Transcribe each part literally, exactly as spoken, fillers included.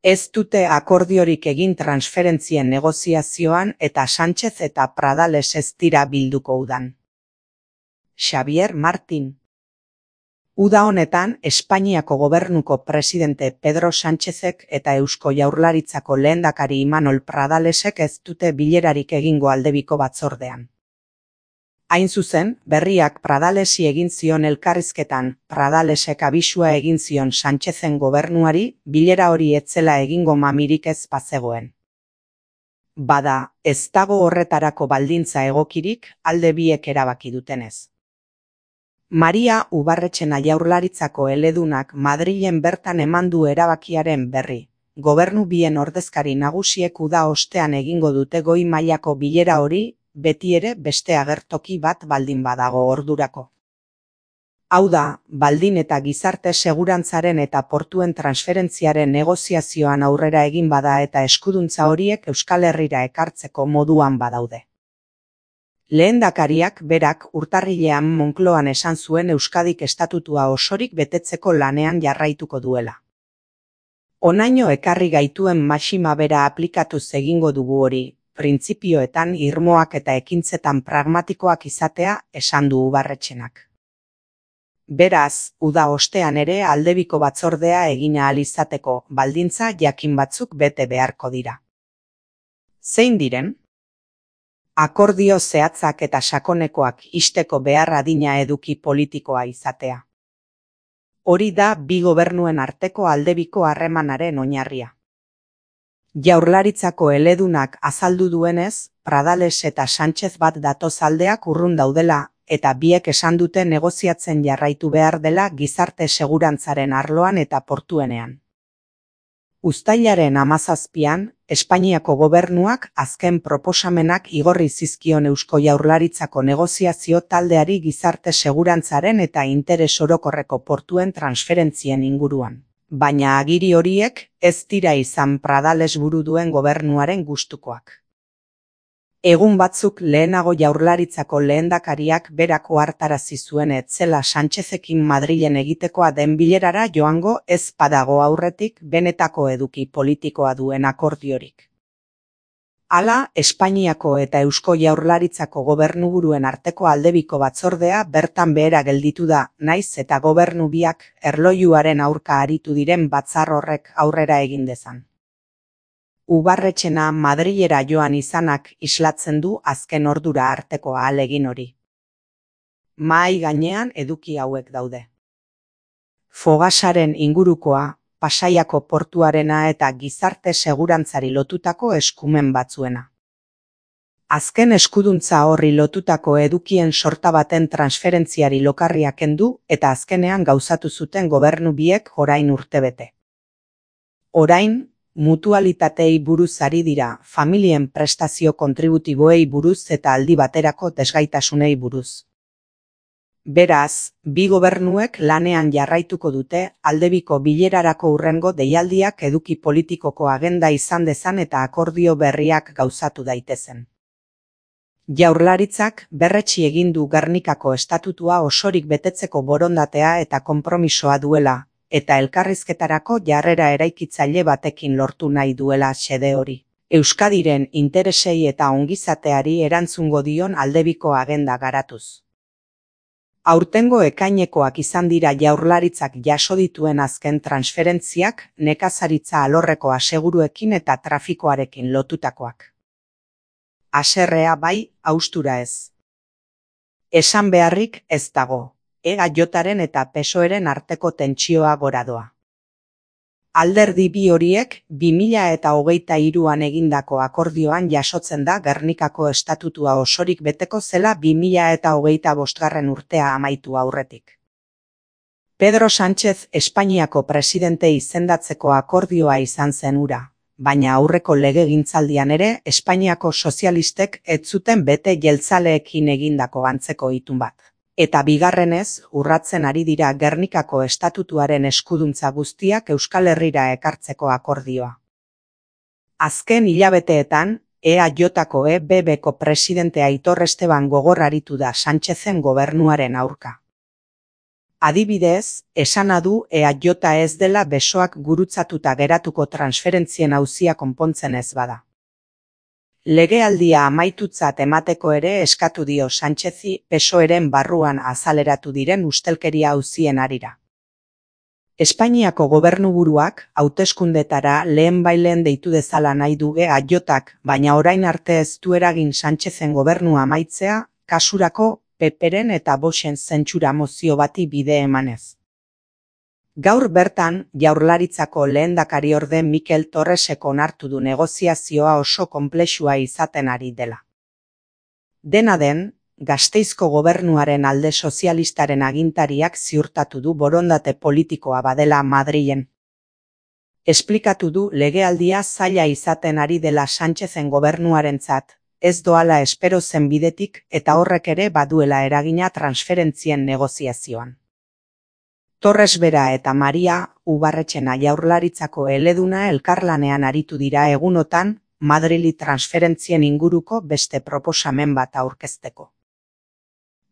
Ez dute akordiorik egin transferentzien negoziazioan eta Sánchez eta Pradales ez dira bilduko udan. Xavier Martín. Uda honetan, Espainiako gobernuko presidente Pedro Sánchezek eta Eusko Jaurlaritzako lehendakari Imanol Pradalesek ez dute bilerarik egingo aldebiko batzordean. Hain zuzen, berriak Pradalesi egin zion elkarrizketan, Pradalesek abisua egin zion Sánchezen gobernuari, bilera hori etzela egingo mamirik ez bazegoen. Bada, ez dago horretarako baldintza egokirik, alde biek erabaki dutenez. Maria Ubarretxena Jaurlaritzako eledunak Madrilen bertan eman du erabakiaren berri. Gobernu bien ordezkari nagusiek uda ostean egingo dute goi mailako bilera hori, beti ere beste agertoki bat baldin badago ordurako. Hau da, baldin eta gizarte segurantzaren eta portuen transferentziaren negoziazioan aurrera egin bada eta eskuduntza horiek Euskal Herrira ekartzeko moduan badaude. Lehendakariak berak urtarrilean Moncloan esan zuen Euskadik estatutua osorik betetzeko lanean jarraituko duela. Honaino ekarri gaituen maxima bera aplikatuz egingo dugu hori, printzipioetan irmoak eta ekintzetan pragmatikoak izatea esan du Ubarretxenak. Beraz, uda ostean ere aldebiko batzordea egin ahal izateko baldintza jakin batzuk bete beharko dira. Zein diren? Akordio zehatzak eta sakonekoak ixteko behar adina eduki politikoa izatea. Hori da bi gobernuen arteko aldebiko harremanaren oinarria. Jaurlaritzako eledunak azaldu duenez, Pradales eta Sánchez bat datoz aldeak urrun daudela, eta biek esan dute negoziatzen jarraitu behar dela gizarte segurantzaren arloan eta portuenean. Uztailaren hamazazpian, Espainiako gobernuak azken proposamenak igorri zizkion Eusko Jaurlaritzako negoziazio taldeari gizarte segurantzaren eta interes orokorreko portuen transferentzien inguruan. Baina agiri horiek ez dira izan Pradales buru duen gobernuaren gustukoak. Egun batzuk lehenago Jaurlaritzako lehendakariak berako hartarazi zuen etzela Sánchezekin Madrilen egitekoa den bilerara joango ez badago aurretik benetako eduki politikoa duen akordiorik. Hala, Espainiako eta Eusko Jaurlaritzako gobernuburuen arteko aldebiko batzordea bertan behera gelditu da, naiz eta gobernu biak erlojuaren aurka aritu diren batzar horrek aurrera egin dezan. Ubarretxena Madrilera joan izanak islatzen du azken ordura arteko ahalegin hori. Mahai gainean eduki hauek daude. Fogasaren ingurukoa, Pasaiako portuarena eta gizarte segurantzari lotutako eskumen batzuena. Azken eskuduntza horri lotutako edukien sorta baten transferentziari lokarria kendu eta azkenean gauzatu zuten gobernu biek orain urtebete. Orain, mutualitatei buruz ari dira, familien prestazio kontributiboei buruz eta aldi baterako desgaitasunei buruz. Beraz, bi gobernuek lanean jarraituko dute aldebiko bilerarako hurrengo deialdiak eduki politikoko agenda izan dezan eta akordio berriak gauzatu daitezen. Jaurlaritzak berretsi egin du Gernikako estatutua osorik betetzeko borondatea eta konpromisoa duela, eta elkarrizketarako jarrera eraikitzaile batekin lortu nahi duela xede hori. Euskadiren interesei eta ongizateari erantzungo dion aldebiko agenda garatuz. Aurtengo ekainekoak izan dira Jaurlaritzak jaso dituen azken transferentziak, nekazaritza alorreko aseguruekin eta trafikoarekin lotutakoak. Haserrea bai, haustura ez. Esan beharrik ez dago. E G Jaren eta P S O Eren arteko tentsioa gora doa. Alderdi bi horiek bi mila eta hogeita hiruan egindako akordioan jasotzen da Gernikako estatutua osorik beteko zela bi mila eta hogeita bosgarren urtea amaitu aurretik. Pedro Sánchez Espainiako presidente izendatzeko akordioa izan zen hura, baina aurreko legegintzaldian ere Espainiako sozialistek ez zuten bete jeltzaleekin egindako antzeko itun bat. Eta bigarrenez, urratzen ari dira Gernikako estatutuaren eskuduntza guztiak Euskal Herrira ekartzeko akordioa. Azken hilabeteetan, E A Jko E B Bko presidente Aitor Esteban gogor aritu da Sánchezen gobernuaren aurka. Adibidez, esana du E A J ez dela besoak gurutzatuta geratuko transferentzien auzia konpontzen ez bada. Legealdia amaitutzat emateko ere eskatu dio Sánchezi P S O Eren barruan azaleratu diren ustelkeria auzien harira. Espainiako gobernuburuak hauteskundetara lehenbailen deitu dezala nahi du E A Jak, baina orain arte ez du eragin Sánchezen gobernua amaitzea, kasurako P Pren eta Voxen zentsura mozio bati bide emanez. Gaur bertan, Jaurlaritzako lehendakariorde Mikel Torresek onartu du negoziazioa oso konplexua izaten ari dela. Dena den, Gasteizko gobernuaren alde sozialistaren agintariak ziurtatu du borondate politikoa badela Madrilen. Esplikatu du legealdia zaila izaten ari dela Sánchezen gobernuarentzat, ez doala espero zen bidetik eta horrek ere baduela eragina transferentzien negoziazioan. Torres bera eta Maria Ubarretxena Jaurlaritzako eleduna elkarlanean aritu dira egunotan Madrili transferentzien inguruko beste proposamen bat aurkezteko.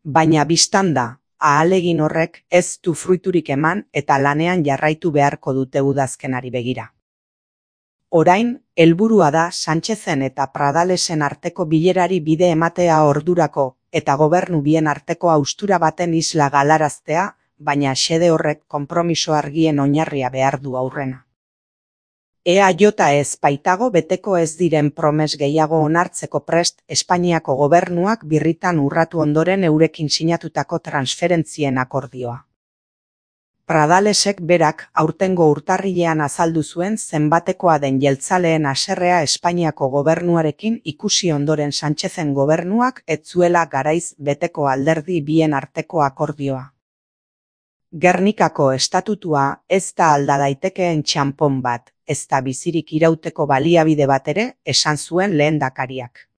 Baina bistan da, ahalegin horrek ez du fruiturik eman eta lanean jarraitu beharko dute udazkenari begira. Orain, helburua da Sánchezen eta Pradalesen arteko bilerari bide ematea ordurako eta gobernu bien arteko haustura baten isla galaraztea, baina xede horrek konpromiso argien oinarria behar du aurrena. E A J ez baitago beteko ez diren promes gehiago onartzeko prest Espainiako gobernuak birritan urratu ondoren eurekin sinatutako transferentzien akordioa. Pradalesek berak aurtengo urtarrilean azaldu zuen zenbatekoa den jeltzaleen haserrea Espainiako gobernuarekin ikusi ondoren Sánchezen gobernuak ez zuela garaiz beteko alderdi bien arteko akordioa. Gernikako estatutua ez da alda daitekeen txanpon bat, ez da bizirik irauteko baliabide bat ere, esan zuen lehendakariak.